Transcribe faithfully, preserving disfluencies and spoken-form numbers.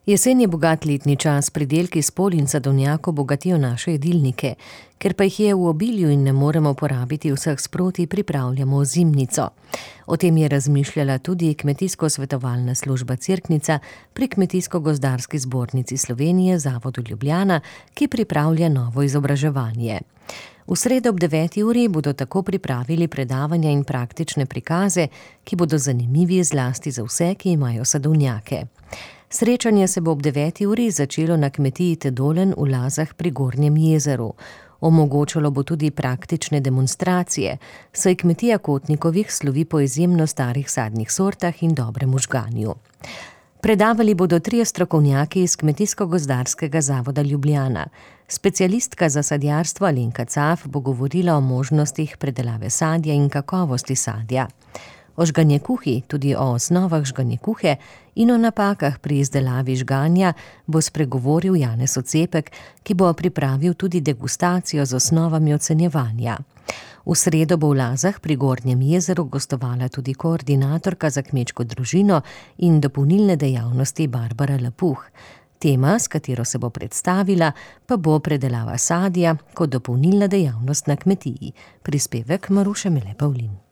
Jesen je bogat letni čas, pridelki s polj in sadovnjakov bogatijo naše jedilnike. Ker pa jih je v obilju in ne moremo porabiti vseh sproti, pripravljamo zimnico. O tem je razmišljala tudi Kmetijsko-svetovalna služba Cerknica pri Kmetijsko-gozdarski zbornici Slovenije, Zavodu Ljubljana, ki pripravlja novo izobraževanje. V sredo ob deveti uri bodo tako pripravili predavanja in praktične prikaze, ki bodo zanimivi zlasti za vse, ki imajo sadovnjake. Srečanje se bo ob deveti uri začelo na kmetiji Tedolen v Lazah pri Gornjem jezeru. Omogočalo bo tudi praktične demonstracije, saj kmetija Kotnikovih slovi po izjemno starih sadnih sortah in dobrem žganju. Predavali bodo trije strokovnjaki iz Kmetijsko-gozdarskega zavoda Ljubljana. Specialistka za sadjarstvo Alenka Caf bo govorila o možnostih predelave sadja in kakovosti sadja. O žganjekuhi, tudi o osnovah žganjekuhe in o napakah pri izdelavi žganja bo spregovoril Janez Ocepek, ki bo pripravil tudi degustacijo z osnovami ocenjevanja. V sredo bo v Lazah pri Gornjem jezeru gostovala tudi koordinatorka za kmečko družino in dopolnilne dejavnosti Barbara Lapuh. Tema, s katero se bo predstavila, pa bo predelava sadja kot dopolnilna dejavnost na kmetiji. Prispevek Maruše Mele Pavlin.